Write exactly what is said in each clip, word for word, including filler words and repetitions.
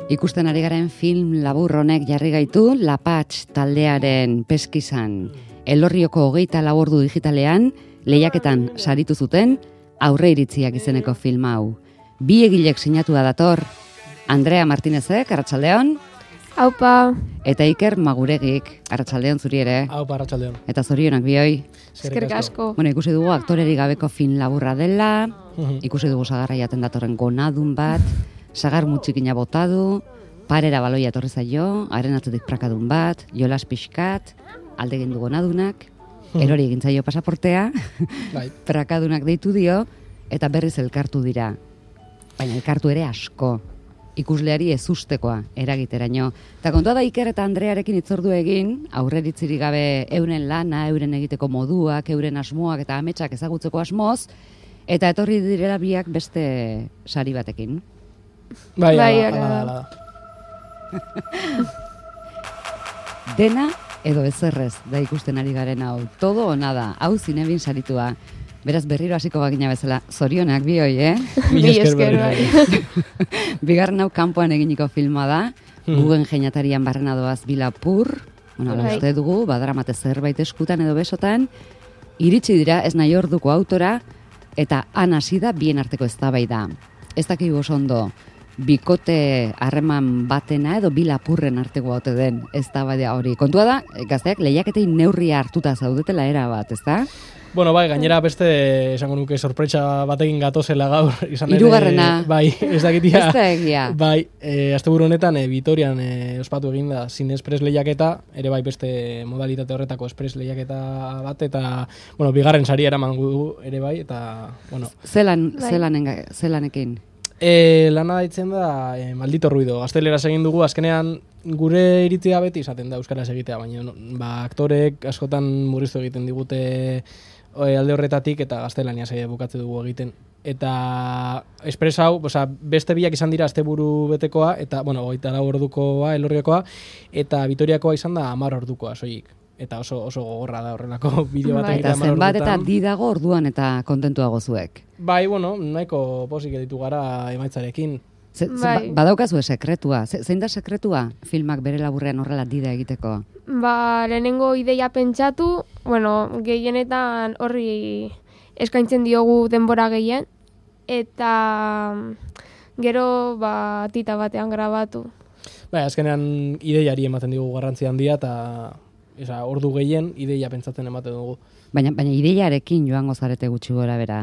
Ikusten ari garen film labur honek jarri gaitu Lapatx taldearen peskizan. Elorrioko hogeita lau ordu digitalean lehiaketan saritu zuten Aurre iritziak izeneko film hau. Bi egilek sinatua dator, Andrea Martinezek, arratsaldeon. Aupa. Eta Iker Maguregik, arratsaldeon zuri ere. Aupa, arratsaldeon. Eta zorionak bioi. Eskerrik asko. Bueno, ikusi dugu aktorerik gabeko film laburra dela, ikusi dugu sagarra jaten datorren gonadun bat, sagar mutxikina botadu, parera baloia etorri zaio, haren atzetik prakadun bat, jolas pixkat, alde egin du gonadunak, erori egin zaio pasaportea, bai. Prakadunak deitu dio, eta berriz elkartu dira. Baina elkartu ere asko, ikusleari ezustekoa eragiteraino. Eta kontua da Iker eta Andrearekin hitzordu egin, aurreritzirik gabe euren lana, euren egiteko moduak, euren asmoak eta ametsak ezagutzeko asmoz, eta etorri direla biak beste sari batekin. Bai, Bai, ala, ala. ala, ala. Dena edo ezerrez da ikusten ari garen hau. Todo o nada, hau zinebin saritua. Beraz berriro hasiko bagina bezala, zorionak bioi, eh? Mila esker bai. Bigarren hau kanpoan eginiko filma da, Guggenheim atarian barrena doaz Bilapur, bueno, ala Bai. uste dugu, badaramate zerbait eskutan edo besotan, iritsi dira ez nahi orduko autora, eta han hasi da bien arteko eztabaida. Ez dakigu oso ondo, bikote harreman batena edo Bilapurren arteko ote den eztabaida hori. Kontua da, gazteak lehiaketei neurria hartuta zaudetela era bat, ezta? Bueno, bai, gainera beste, esango nuke, sorpresa batekin gatozela gaur. Izan ere, Hirugarrena. Bai, ez dakitia. Ez da egia. Bai, e, asteburu honetan, e, Vitorian e, ospatu egin da Zine Express lehiaketa, ere bai beste modalitate horretako Express lehiaketa bat, eta, bueno, bigarren sari eraman gu ere bai, eta, bueno. Zelan, Bai. zelanen, zelanekin? E, lana daitzen da, e, maldito ruido, gazteleraz egin dugu, azkenean gure iritzia beti izaten da euskaraz egitea, baina no, ba, aktorek askotan murriztu egiten digute e, alde horretatik eta gaztelaniaz e, bukatze dugu egiten. Eta Express hau, oza, beste biak izan dira asteburu betekoa, eta, bueno, hogeita lau ordukoa, Elorriokoa, eta Vitoriakoa izan da hamar ordukoa, soilik. Eta oso oso gogorra da horrelako bideo bat Bai. egitea Eta hamar zenbat eta ordutan. di dago orduan eta kontentuago zuek. Bai, bueno, nahiko posik editu gara emaitzarekin. Ze, ze, Bai. ba- badaukazue sekretua. Ze, zein da sekretua filmak bere laburrean horrela dida egiteko? Ba, lehenengo ideia pentsatu, bueno, gehienetan horri eskaintzen diogu denbora gehien, eta gero, ba, tita batean grabatu. Bai, azkenean ideiari ematen digu garrantzi handia eta esa, ordu gehien ideia pentsatzen ematen dugu. Baina, baina ideiarekin joango zarete gutxi gora bera.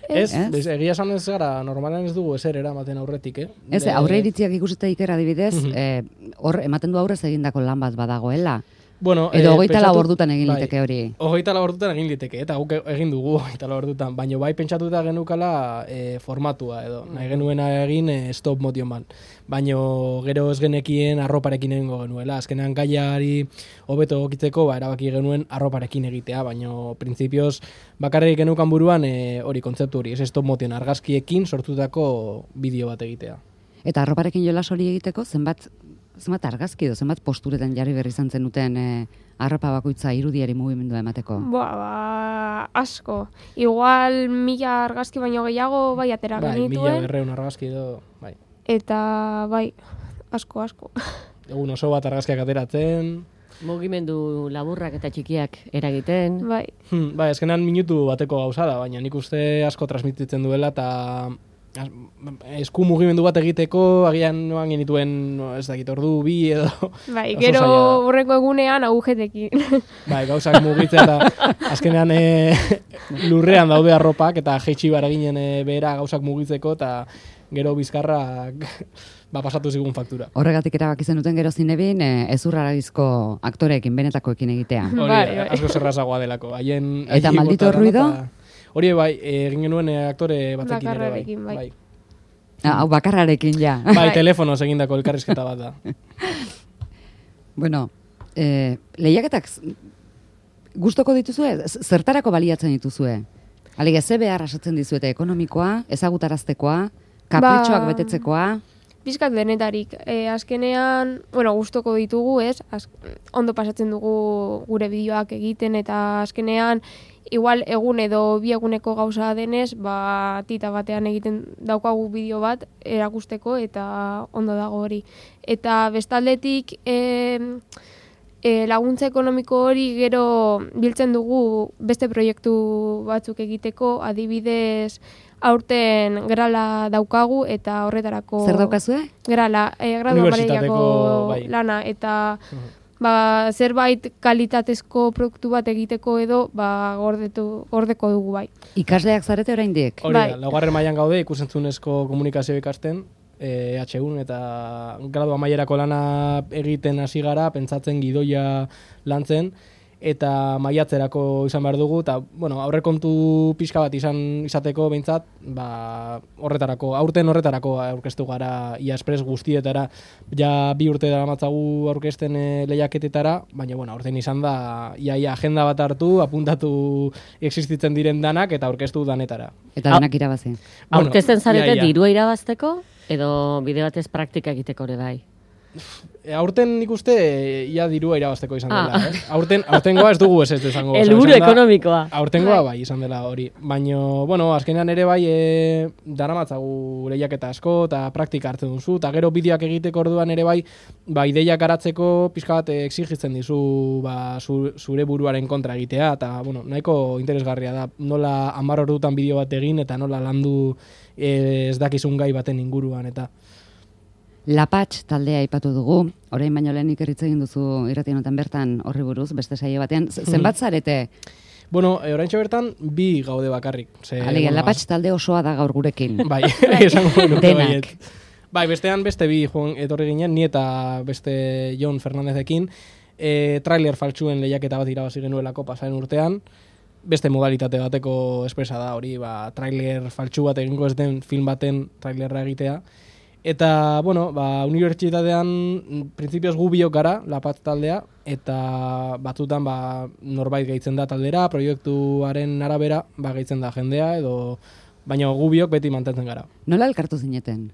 Ez, Ez? bez, egia esan ez gara, normalean ez dugu ezer eramaten aurretik, eh? Ez, De- aurre iritziak ikusita Iker adibidez, Mhm. eh, hor ematen du aurrez egindako lan bat badagoela. Bueno, Edo eh, hogeita lau pentsatu- ordutan egin bai, liteke hori. Hogeita lau ordutan egin liteke, eta guk egin dugu hogeita lau ordutan, baina bai pentsatuta genukala e, formatua edo, nahi genuena egin e, stop motion ban. Baina gero ez genekien arroparekin egingo genuela, azkenean gaiari hobeto egokitzeko, ba, erabaki genuen arroparekin egitea, baina printzipioz bakarrik genukan buruan e, hori kontzeptu hori, ez stop motion argazkiekin sortutako bideo bat egitea. Eta arroparekin jolas hori egiteko, zenbat, zenbat argazki edo, zenbat posturetan jarri berri izan zenuten eh, arropa bakoitza irudiari mugimendua emateko. Ba, ba, asko. Igual mila argazki baino gehiago bai atera Bai, mila genituen, berreun argazki edo, bai. eta bai, asko, asko. Egun oso bat argazkiak ateratzen, Mugimendu laburrak eta txikiak eragiten. Bai, Hmm, bai, eskenean minutu bateko gauza da, baina nik uste asko transmititzen duela eta az- esku mugimendu bat egiteko agian noan genituen, no, ez dakit, ordu bi edo bai, oso gero zaila da. hurrengo egunean agujetekin. Bai, gauzak mugitzea eta azkenean e, lurrean daude arropak eta jeitsi bar eginen e, behera gauzak mugitzeko eta gero bizkarrak ba, pasatu zigun faktura. Horregatik erabaki zenuten gero zinebin eh, ezurraragizko aktoreekin, benetakoekin egitea. Hori, Bai, bai. asko zerrazagoa delako. Haien, Eta haien maldito bota ruido? eta- Hori bai, e, egin genuen e, aktore batekin ere bai. Bakarrarekin, bai. bai. Ah, hau bakarrarekin ja. Bai, Bai. telefonoz egindako elkarrizketa bat da. Bueno, eh, lehiaketak z- gustoko dituzue? Z- Zertarako baliatzen dituzue? Alige, ze behar asatzen dizuete ekonomikoa, ezagutaraztekoa, Kapritxoak Ba- betetzekoa, Pizkat denetarik, e, azkenean, bueno, gustoko ditugu, ez? Az, ondo pasatzen dugu gure bideoak egiten, eta azkenean, igual egun edo bi eguneko gauza denez, ba, tita batean egiten daukagu bideo bat erakusteko, eta ondo dago hori. Eta bestaldetik, e, e, laguntza ekonomiko hori gero biltzen dugu beste proiektu batzuk egiteko, adibidez, aurten grala daukagu eta horretarako... zer daukazue? Grala, e, gradu Unibertsitateko, amaierako bai. lana, eta ba, zerbait kalitatezko produktu bat egiteko edo ba, gordetu, gordeko dugu bai. Ikasleak zarete oraindik? Hori Bai. da, laugarren mailan gaude ikusentzunezko komunikazio ikasten, e, H un eta gradu amaierako lana egiten hasi gara, pentsatzen gidoia lantzen, eta maiatzerako izan behar dugu, eta bueno, aurrekontu pixka bat izan izateko behintzat, ba, horretarako, aurten horretarako aurkeztu gara ia espres guztietara, ja bi urte daramatzagu aurkezten e, lehiaketetara, baina bueno, aurten izan da, ia, ia agenda bat hartu, apuntatu existitzen diren danak, eta aurkeztu danetara. Eta denak irabazi. Bueno, Aurkezten zarete ia, ia. dirua irabazteko, edo bide batez praktika egiteko ere bai? E, aurten nik uste e, ia dirua irabazteko izan Ah. dela, eh? Aurten, aurtengoa ez dugu ez ez izango. osea, Helburu izan da- ekonomikoa. Aurtengoa bai izan dela hori. Baina, bueno, azkenean ere bai e, daramatzagu lehiaketa asko eta praktika hartzen duzu, eta gero bideoak egiteko orduan ere bai, ba, ideiak garatzeko pixka bat e, exigitzen dizu ba, zu, zure buruaren kontra egitea, eta bueno, nahiko interesgarria da, nola hamar ordutan bideo bat egin, eta nola landu e, ez dakizun gai baten inguruan, eta... Lapatx taldea aipatu dugu, orain baino lehenik erritz egin duzu irratien honetan bertan horri buruz, beste saio batean. Z- Zenbat zarete? Bueno, e, oraintxe bertan bi gaude bakarrik. Ze, Alegia, bueno, Lapatx talde osoa da gaur gurekin. Bai, esango nuke Denak. baiet. Bai, bestean beste bi joan etorri ginen, ni eta beste Jon Fernandezekin, e, trailer faltsuen lehiaketa bat irabazi genuelako pasaren urtean, beste modalitate bateko espresa da hori, ba, trailer faltsu bat egingo ez den film baten trailerra egitea. Eta, bueno, ba, unibertsitatean printzipioz gu biok gara, Lapatx taldea, eta batzutan ba, norbait gehitzen da taldera, proiektuaren arabera ba, gehitzen da jendea, edo baina gu biok beti mantentzen gara. Nola elkartu zineten?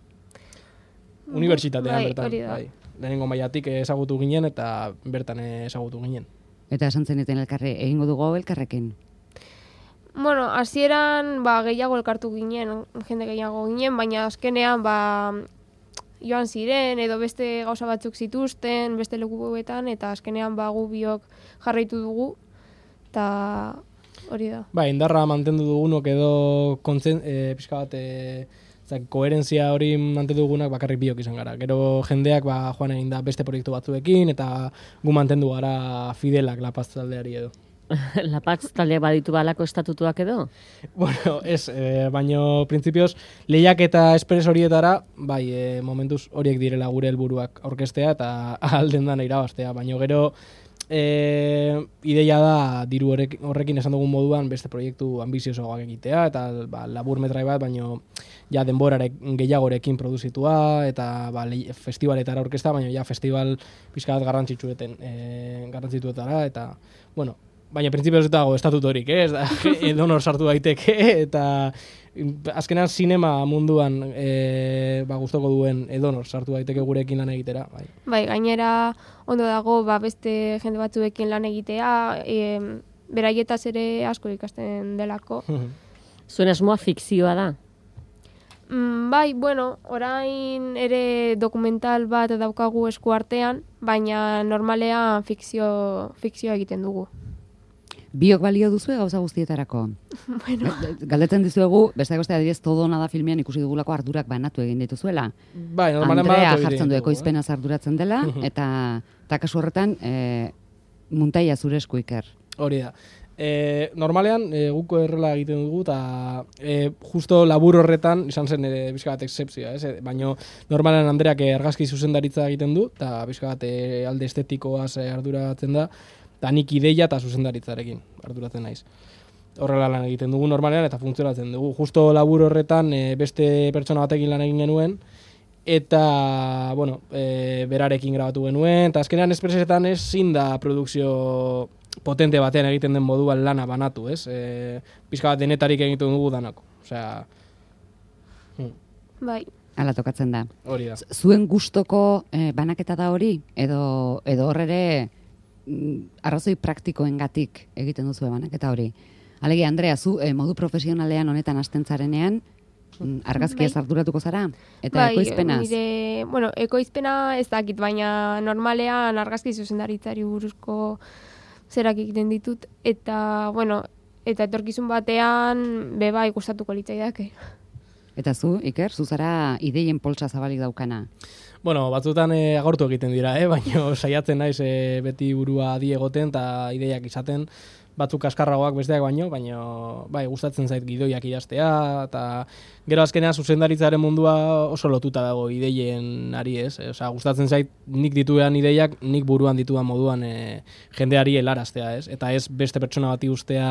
Unibertsitatean Bai, bertan, hori da. bai. Lehenengo mailatik ezagutu ginen eta bertan ezagutu ginen. Eta esan zeneten elkarre, egingo dugu hau elkarrekin? Bueno, hasieran ba, gehiago elkartu ginen, jende gehiago ginen, baina azkenean ba, joan ziren edo beste gauza batzuk zituzten, beste lekuetan, eta azkenean ba, gu biok jarraitu dugu, eta hori da. Bai, indarra mantendu dugunok edo kontzen, e, pixka bat e, zak, koherentzia hori mantendu dugunak bakarrik biok izan gara. Gero jendeak ba, joan egin da beste proiektu batzuekin eta gu mantendu gara fidelak Lapatx taldeari edo. Lapatx taldeak baditu balako estatutuak edo? Bueno, ez, e, baino printzipioz lehiak eta espres horietara, bai, e, momentuz horiek direla gure helburuak aurkeztea eta alden dana irabaztea, baino gero e, ideia da diru horrek, horrekin esan dugun moduan beste proiektu ambiziosoagoak egitea eta ba, labur metrai bat, baino ja denborarek gehiagorekin produzitua eta ba, le, festivaletara aurkezta, baino ja festival pixka bat garrantzitsueten, e, garrantzituetara eta, bueno, baina printzipioz ez dago estatutorik, eh? Ez da, edonor sartu daiteke, eta azkenean sinema munduan e, ba, gustoko duen edonor sartu daiteke gurekin lan egitera. Bai. Bai, gainera ondo dago ba, beste jende batzuekin lan egitea, e, beraietaz ere asko ikasten delako. Zuen asmoa fikzioa da? Mm, bai, bueno, orain ere dokumental bat daukagu esku artean, baina normalean fikzio, fikzioa egiten dugu. Biok balio duzue gauza guztietarako? Bueno, Galdetzen dizuegu, besteak beste adibidez todo nada filmean ikusi dugulako ardurak banatu egin dituzuela. Bai, normalen Andrea badatu jartzen du egiten dugu, ekoizpenaz arduratzen dela, eta, eta kasu horretan e, muntaia zure esku Iker. eh? Hori da. E, normalean, e, guko errela egiten dugu, eta e, justo labur horretan izan zen ere bizka bat excepzioa, ez? Baina normalean Andreak argazki zuzendaritza egiten du, eta bizka bat e, alde estetikoaz e, arduratzen da, eta nik ideia eta zuzendaritzarekin arduratzen naiz. Horrela lan egiten dugu normalean eta funtzionatzen dugu. Justo labur horretan e, beste pertsona batekin lan egin genuen, eta, bueno, e, berarekin grabatu genuen, eta azkenean espresetan ezin da produkzio potente batean egiten den moduan lana banatu, ez? E, pizka bat denetarik egiten dugu danako. Osea, hmm. Bai. Hala tokatzen da. Hori da. Zuen gustoko eh, banaketa da hori, edo, edo horrere mm, arrazoi praktikoengatik egiten duzu banaketa hori. Alegia, Andrea, zu eh, modu profesionalean honetan hasten zarenean, mm, argazkiaz Bai. arduratuko zara? Eta Bai, ekoizpenaz? nire, bueno, ekoizpena ez dakit, baina normalean argazki zuzendaritzari buruzko zerak egiten ditut, eta, bueno, eta etorkizun batean beba ikustatuko litzaidake. Eta zu, Iker, zu zara ideien poltsa zabalik daukana. Bueno, batzutan e, agortu egiten dira, eh? Baina saiatzen naiz e, beti burua adi egoten eta ideiak izaten, batzuk kaskarragoak besteak baino, baina bai, gustatzen zait gidoiak idaztea, eta gero azkenean zuzendaritzaren mundua oso lotuta dago ideien ari ez. E, Osea, gustatzen zait nik dituean ideiak, nik buruan dituan moduan e, jendeari helaraztea, ez? Eta ez beste pertsona bati ustea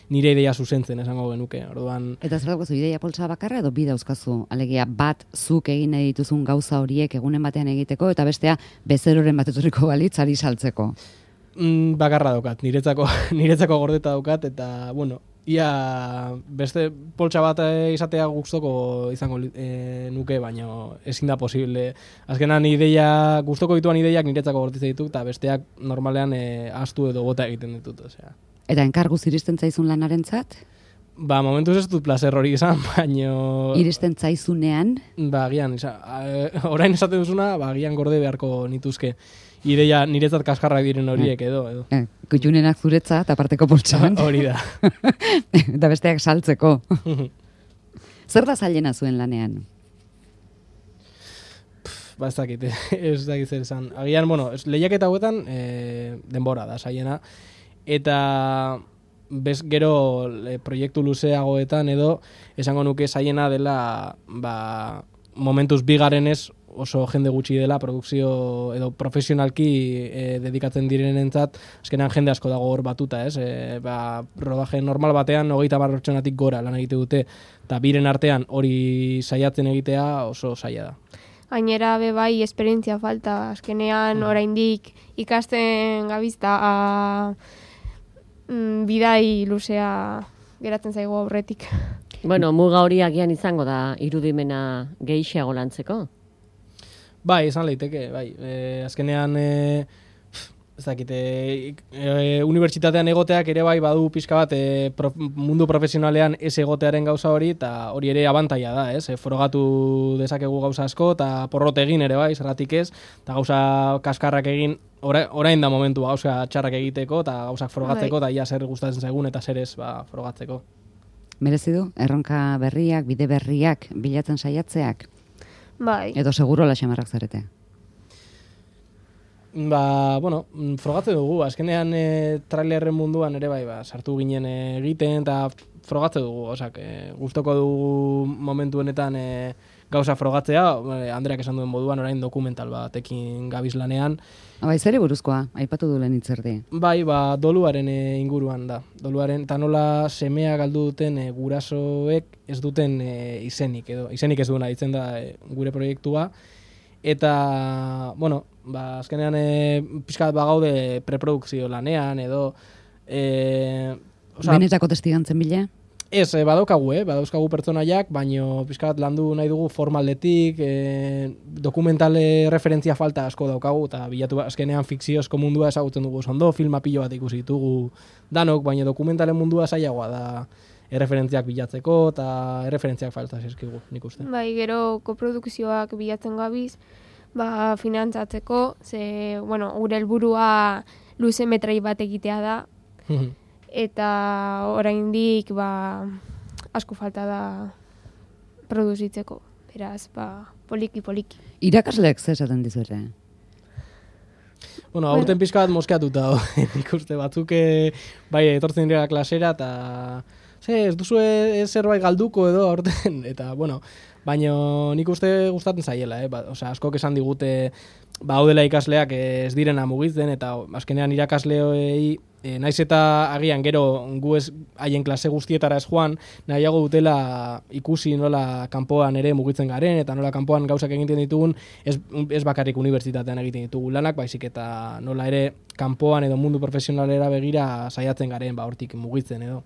nire ideia zuzentzen, esango genuke. Orduan, Eta zer daukazu, ideia poltsa bakarra edo bi dauzkazu? Alegia, bat zuk egin nahi dituzun gauza horiek egunen batean egiteko, eta bestea bezeroren bat etorriko balitz ari saltzeko. Mm, bakarra daukat, niretzako, niretzako gordeta daukat, eta, bueno, ia beste poltsa bat eh, izatea gustoko izango e, nuke, baina ezin da posible. Azkenan ideia, gustoko dituan ideiak niretzako gorditza ditut, eta besteak normalean e, astu edo bota egiten ditut, osea. Eta enkarguz iristen zaizun lanarentzat? Ba, momentuz ez dut placer hori izan, baina... Iristen zaizunean? Ba, agian, isa, a, orain esaten duzuna, ba, agian gorde beharko nituzke. Ideia niretzat kaskarrak diren horiek edo, edo. Eh, kutxunenak zuretzat, aparteko poltsan. Hori da. Eta besteak saltzeko. Zer da zailena zuen lanean? Ba, ez dakit, ez dakit zer esan. Agian, bueno, lehiaketa hauetan e, denbora da, zailena. Eta bez gero e, proiektu luzeagoetan edo esango nuke zailena dela ba, momentuz bigarenez oso jende gutxi dela produkzio edo profesionalki e, dedikatzen direnentzat, azkenean jende asko dago hor batuta, ez? E, ba, rodaje normal batean hogeita hamar pertsonatik gora lan egite dute, eta biren artean hori saiatzen egitea oso zaila da. Gainera be bai esperientzia falta, azkenean oraindik ikasten gabizta a mm, bidai luzea geratzen zaigu aurretik. Bueno, muga hori agian izango da irudimena gehiago lantzeko. Bai, izan leiteke, bai. E, azkenean, e, ez dakit, e, e, unibertsitatean egoteak ere bai badu pixka bat e, prof, mundu profesionalean ez egotearen gauza hori, eta hori ere abantaila da, ez? E, frogatu dezakegu gauza asko, eta porrot egin ere bai, zerratik ez, eta gauza kaskarrak egin, ora, orain da momentua gauza txarrak egiteko, eta gauzak frogatzeko, eta ia zer gustatzen zaigun, eta zer ez ba, frogatzeko. Merezi du, erronka berriak, bide berriak, bilatzen saiatzeak? Bai. Edo seguro la xamarrak zarete? Ba, bueno, frogatzen dugu, azkenean e, trailerren munduan ere bai, ba, sartu ginen e, egiten, eta frogatzen dugu, osak, e, gustoko dugu momentu honetan e, gauza frogatzea, e, Andreak esan duen moduan, orain dokumental batekin gabiz lanean. Bai, zeri buruzkoa, aipatu du lehen hitzerdi. Bai, ba, doluaren e, inguruan da. Doluaren, eta nola semea galdu duten e, gurasoek ez duten e, izenik, edo izenik ez duena ditzen da e, gure proiektua. Eta, bueno, ba, azkenean e, pixkat bagaude preprodukzio lanean, edo... E, oza, Benetako testigantzen bila? Ez, e, badaukagu, eh? Badauzkagu pertsonaiak, baino pixkat landu nahi dugu formaldetik, e, dokumentale referentzia falta asko daukagu, eta bilatu azkenean fikziozko mundua ezagutzen dugu ondo, filma pilo bat ikusi ditugu danok, baina dokumentalen mundua zailagoa da erreferentziak bilatzeko, eta erreferentziak falta zizkigu, nik uste. Bai, gero koprodukzioak bilatzen gabiz, ba, finantzatzeko, ze, bueno, gure helburua luze metrai bat egitea da, eta oraindik ba, asko falta da produzitzeko. Beraz, ba, poliki-poliki. Irakasleek zer esaten dizuete? Bueno, aurten pixka bat moskeatuta nik uste batzuk bai etortzen dira klasera, eta ze, ez duzu zerbait galduko edo aurten, eta bueno, baina nik uste gustatzen zaiela, eh? Ba, osea, askok esan digute ba, haudela ikasleak ez direna mugitzen, eta azkenean irakasleoi E, naiz eta agian gero gu ez haien klase guztietara ez joan, nahiago dutela ikusi nola kanpoan ere mugitzen garen, eta nola kanpoan gauzak egiten ditugun, ez, ez bakarrik unibertsitatean egiten ditugu lanak, baizik eta nola ere kanpoan edo mundu profesionalera begira saiatzen garen, ba hortik mugitzen edo.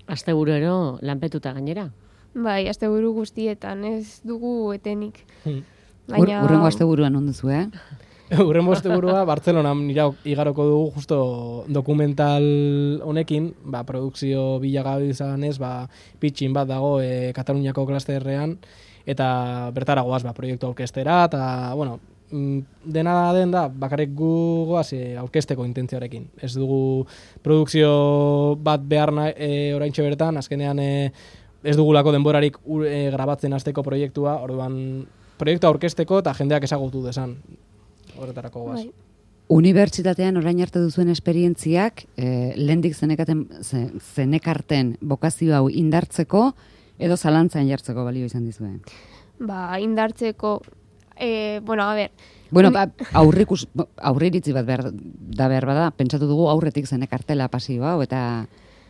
Asteburero lanpetuta gainera? Bai, asteburu guztietan, ez dugu etenik. Hmm. Ur, urrengo asteburuan onduzu, eh? Urrengo asteburua Bartzelonan igaroko dugu justo dokumental honekin, ba, produkzio bilagabe izanez, ba, pitchin bat dago e, Kataluniako klasterrean, eta bertara goaz, ba, proiektu aurkestera, eta, bueno, dena den da, bakarrik gu goaz e, aurkesteko intentzioarekin. Ez dugu produkzio bat behar nahi e, oraintxe bertan, azkenean e, ez dugulako denborarik ur, e, grabatzen hasteko proiektua, orduan proiektua aurkesteko eta jendeak ezagutu desan. Horretarako goaz. Bai. Unibertsitatean orain arte duzuen esperientziak, eh, lehendik zenekaten, zenekarten bokazio hau indartzeko, edo zalantzan jartzeko balio izan dizue? Ba, indartzeko, eh, bueno, a ber. Bueno, ba, aurrikus, aurriritzi bat behar, da behar bada, pentsatu dugu aurretik zenekartela pasio hau, eta,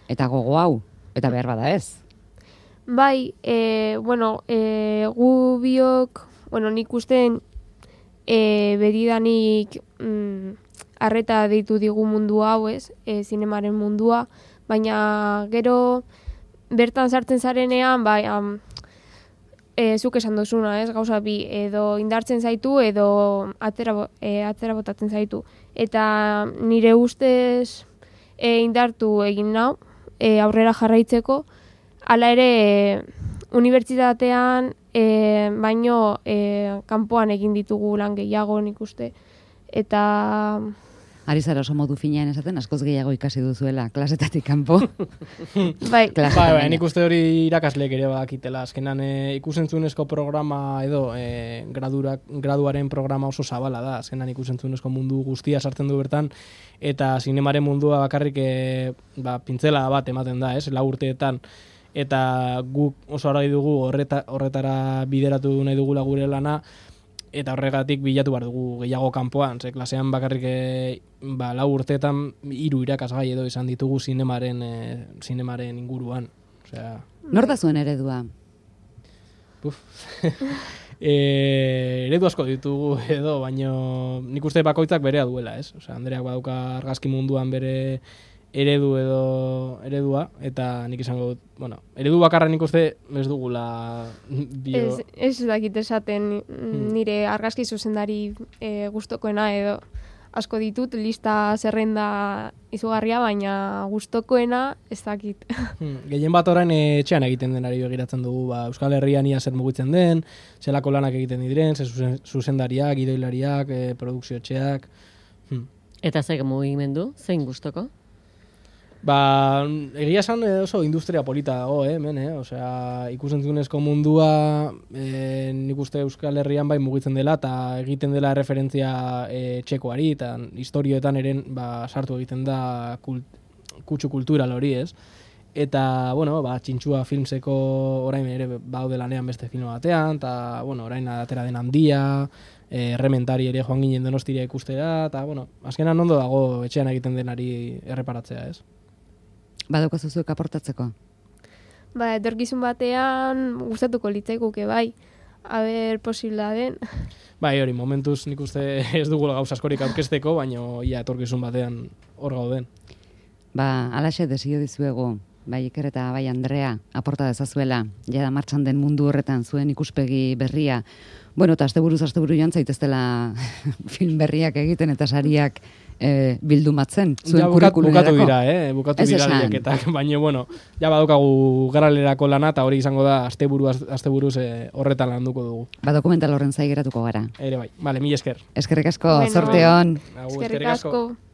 eta gogo hau, eta behar bada ez. Bai, eh, bueno, eh, gu biok, bueno, nik usten, E, betidanik mm, arreta deitu digu mundu hau, ez, e, zinemaren mundua, baina gero bertan sartzen zarenean, bai, am, e, zuk esan duzuna, ez, gauza bi, edo indartzen zaitu, edo atzera, e, atzera botatzen zaitu. Eta nire ustez e, indartu egin nau, e, aurrera jarraitzeko, hala ere, e, unibertsitatean e, baino e, kanpoan egin ditugu lan gehiago nik uste. Eta... Ari zara oso modu finean esaten, askoz gehiago ikasi duzuela, klasetatik kanpo. bai, bai, bai, nik uste hori irakasleek ere bakitela. Azkenan e, ikusentzunezko programa edo e, gradurak, graduaren programa oso zabala da. Azkenan ikusentzunezko mundu guztia sartzen du bertan, eta zinemaren mundua bakarrik e, ba, pintzela bat ematen da, ez, lau urteetan. Eta guk oso argi dugu horreta, horretara bideratu nahi dugula gure lana, eta horregatik bilatu behar dugu gehiago kanpoan, ze klasean bakarrik e, ba, lau urteetan hiru irakasgai edo izan ditugu zinemaren, e, zinemaren inguruan. Osea, nor da zuen eredua? Uf. e, eredu asko ditugu edo, baino nik uste bakoitzak berea duela, ez? Osea, Andreak badauka argazki munduan bere eredu edo eredua, eta nik izango dut, bueno, eredu bakarra nik uste ez dugula bio... Ez, ez dakit esaten nire argazki zuzendari e, gustokoena edo asko ditut, lista zerrenda izugarria, baina gustokoena ez dakit. Hmm, gehien bat orain etxean egiten denari begiratzen dugu, ba, Euskal Herrian ia zer mugitzen den, zelako lanak egiten diren, ze zuzendariak, gidoilariak, e, produkzio etxeak... Hmm. Eta zeik mugimendu, zein gustoko? Ba, egia esan oso industria polita dago, eh, hemen, eh? Osea, ikusentzunezko mundua eh, nik uste Euskal Herrian bai mugitzen dela, eta egiten dela referentzia eh, txekoari, eta historioetan eren ba, sartu egiten da kult, kutsu kultural hori, ez? Eta, bueno, ba, Txintxua Filmseko orain ere baude lanean beste film batean, eta, bueno, orain atera den Handia, eh, Errementari ere joan ginen Donostiria ikustera, eta, bueno, azkenan ondo dago etxean egiten denari erreparatzea, ez? Badaukazu zuek aportatzeko? Ba, etorkizun batean gustatuko litzaiguke bai, aber posibla den. Bai, hori, momentuz nik uste ez dugula gauza askorik aurkezteko, baina ja etorkizun batean hor gauden. Ba, alaxe desio dizuegu, bai Iker eta bai Andrea, aporta dezazuela, jada martxan den mundu horretan zuen ikuspegi berria. Bueno, eta asteburuz asteburu joan zaiteztela film berriak egiten eta sariak e, bildumatzen, zuen ja, bukat, kurrikulumerako. Bukatu dira, eh? Bukatu dira lehiaketak, baina, bueno, ja badaukagu garalerako lana, eta hori izango da asteburu, asteburuz eh, horretan landuko dugu. Ba, dokumental horren zai geratuko gara. Ere bai, vale, mila esker. Eskerrik asko, Bueno, zorte hon. Agur, eskerrik asko.